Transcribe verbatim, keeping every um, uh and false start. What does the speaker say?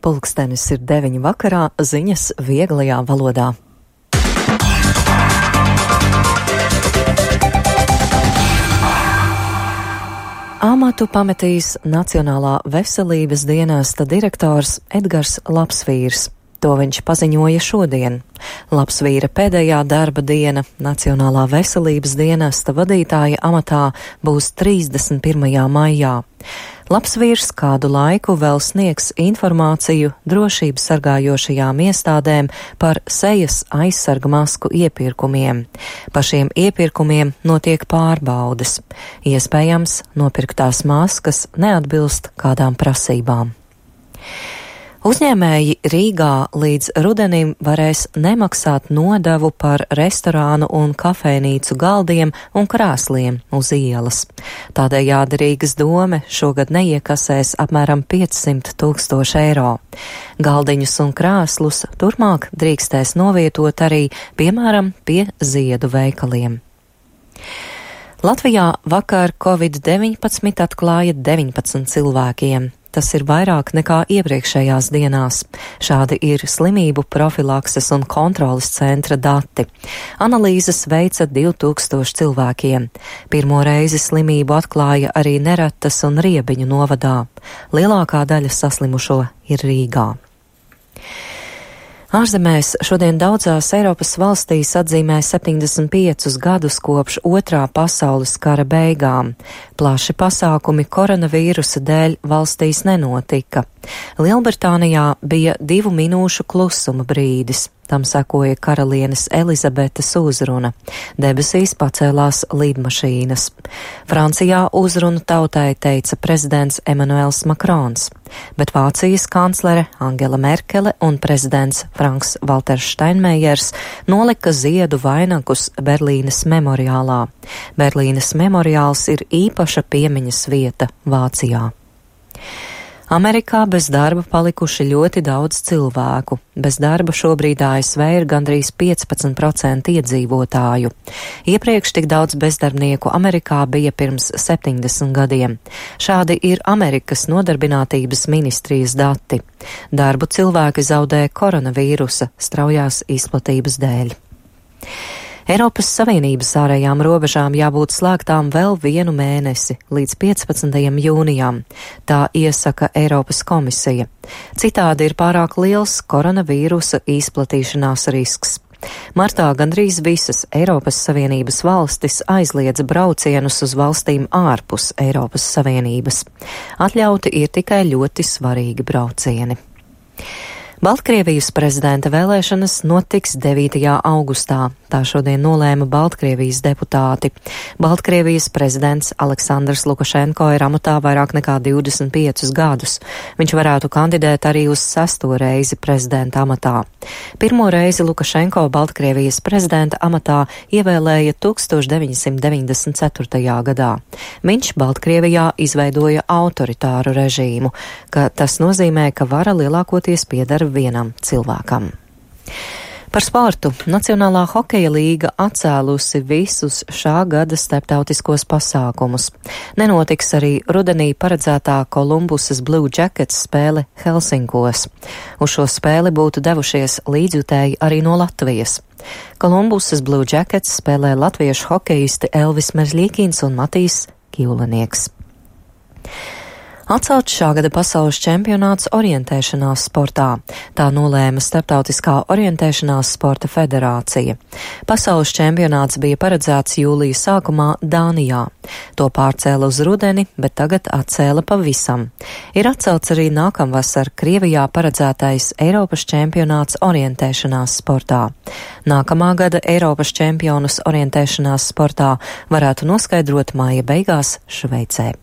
Pulkstenis ir deviņi vakarā, ziņas vieglajā valodā. Amatu pametīs Nacionālā veselības dienesta direktors Edgars Lapsvīrs. To viņš paziņoja šodien. Lapsvīra pēdējā darba diena Nacionālā veselības dienesta vadītāja amatā būs trīsdesmit pirmajā maijā. Lapsvīrs kādu laiku vēl sniegs informāciju drošības sargājošajām iestādēm par sejas aizsarga masku iepirkumiem. Par šiem iepirkumiem notiek pārbaudes. Iespējams, nopirktās maskas neatbilst kādām prasībām. Uzņēmēji Rīgā līdz rudenim varēs nemaksāt nodevu par restorānu un kafejnīcu galdiem un krēsliem uz ielas. Tādējādi Rīgas dome šogad neiekasēs apmēram piecsimt tūkstoši eiro. Galdiņus un krēslus turpmāk drīkstēs novietot arī, piemēram, pie ziedu veikaliem. Latvijā vakar covid deviņpadsmit atklāja deviņpadsmit cilvēkiem. Tas ir vairāk nekā iepriekšējās dienās. Šādi ir slimību profilakses un kontrolas centra dati. Analīzes veica divi tūkstoši cilvēkiem. Pirmo reizi slimību atklāja arī Neratas un Riebiņu novadā. Lielākā daļa saslimušo ir Rīgā. Ārzemēs šodien daudzās Eiropas valstīs atzīmē septiņdesmit piecus gadus kopš otrā pasaules kara beigām. Plaši pasākumi koronavīrusa dēļ valstīs nenotika. Lielbritānijā bija divu minūšu klusuma brīdis. Tam sekoja karalienes Elizabetes uzruna. Debesīs pacēlās lidmašīnas. Francijā uzrunu tautai teica prezidents Emmanuels Makrons, bet Vācijas kanclere Angela Merkele un prezidents Franks Valters Steinmeiers nolika ziedu vainagus Berlīnes memoriālā. Berlīnes memoriāls ir īpaša piemiņas vieta Vācijā. Amerikā bez darba palikuši ļoti daudz cilvēku. Bez darba šobrīd A S V ir gandrīz piecpadsmit procenti iedzīvotāju. Iepriekš tik daudz bezdarbnieku Amerikā bija pirms septiņdesmit gadiem. Šādi ir Amerikas nodarbinātības ministrijas dati. Darbu cilvēki zaudē koronavīrusa straujās izplatības dēļ. Eiropas Savienības ārējām robežām jābūt slēgtām vēl vienu mēnesi, līdz piecpadsmitajam jūnijam. Tā iesaka Eiropas komisija. Citādi ir pārāk liels koronavīrusa izplatīšanās risks. Martā gandrīz visas Eiropas Savienības valstis aizliedza braucienus uz valstīm ārpus Eiropas Savienības. Atļauti ir tikai ļoti svarīgi braucieni. Baltkrievijas prezidenta vēlēšanas notiks devītajā augustā. Tā šodien nolēma Baltkrievijas deputāti. Baltkrievijas prezidents Aleksandrs Lukašenko ir amatā vairāk nekā divdesmit piecus gadus. Viņš varētu kandidēt arī uz sesto reizi prezidenta amatā. Pirmo reizi Lukašenko Baltkrievijas prezidenta amatā ievēlēja tūkstoš deviņsimt deviņdesmit ceturtajā gadā. Viņš Baltkrievijā izveidoja autoritāru režīmu, ka tas nozīmē, ka vara lielākoties pieder vienam cilvēkam. Par sportu. Nacionālā hokeja līga atcēlusi visus šā gada starptautiskos pasākumus. Nenotiks arī rudenī paredzētā Kolumbusas Blue Jackets spēle Helsinkos. Uz šo spēli būtu devušies līdzjutēji arī no Latvijas. Kolumbusas Blue Jackets spēlē latviešu hokeisti Elvis Merzļīkins un Matīs Kīlanieks. Atcelts šā gada pasaules čempionāts orientēšanās sportā. Tā nolēma Starptautiskā orientēšanās sporta federācija. Pasaules čempionāts bija paredzēts jūlija sākumā Dānijā. To pārcēla uz rudeni, bet tagad atcēla pavisam. Ir atcelts arī nākamvasar Krievijā paredzētais Eiropas čempionāts orientēšanās sportā. Nākamā gada Eiropas čempionus orientēšanās sportā varētu noskaidrot māja beigās Šveicē.